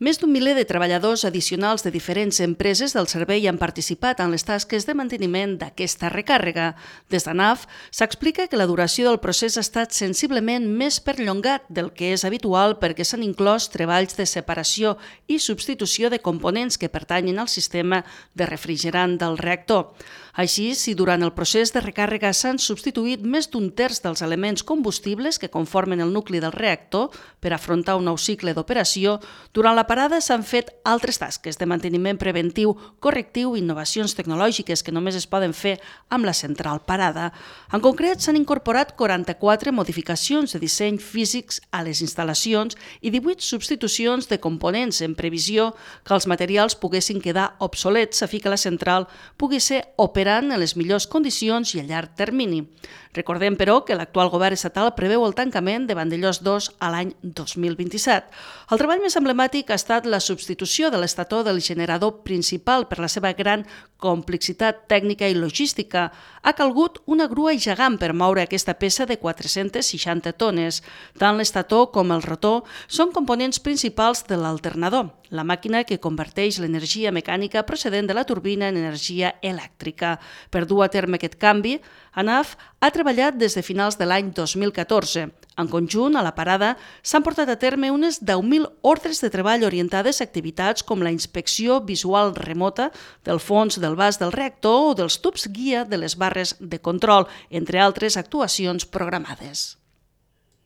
Més d'un miler de treballadors addicionals de diferents empreses del servei han participat en les tasques de manteniment d'aquesta recàrrega. Des d'ANAF s'explica que la duració del procés ha estat sensiblement més perllongat del que és habitual perquè s'han inclòs treballs de separació i substitució de components que pertanyen al sistema de refrigerant del reactor. Així, si durant el procés de recàrrega s'han substituït més d'un terç dels elements combustibles que conformen el nucli del reactor per afrontar un nou cicle d'operació, durant la parada s'han fet altres tasques de manteniment preventiu, correctiu i innovacions tecnològiques que només es poden fer amb la central parada. En concret, s'han incorporat 44 modificacions de disseny físics a les instal·lacions i 18 substitucions de components en previsió que els materials poguessin quedar obsolets a fi que la central pugui ser operada en les millors condicions i a llarg termini. Recordem, però, que l'actual govern estatal preveu el tancament de Vandellòs 2 a l'any 2027. El treball més emblemàtic ha estat la substitució de l'estator del generador principal per la seva gran complexitat tècnica i logística. Ha calgut una grua gegant per moure aquesta peça de 460 tones. Tant l'estator com el rotor són components principals de l'alternador, la màquina que converteix l'energia mecànica procedent de la turbina en energia elèctrica. Per dur a terme aquest canvi, ANAF ha treballat des de finals de l'any 2014. En conjunt, a la parada, s'han portat a terme unes 10.000 ordres de treball orientades a activitats com la inspecció visual remota del fons del vas del reactor o dels tubs guia de les barres de control, entre altres actuacions programades.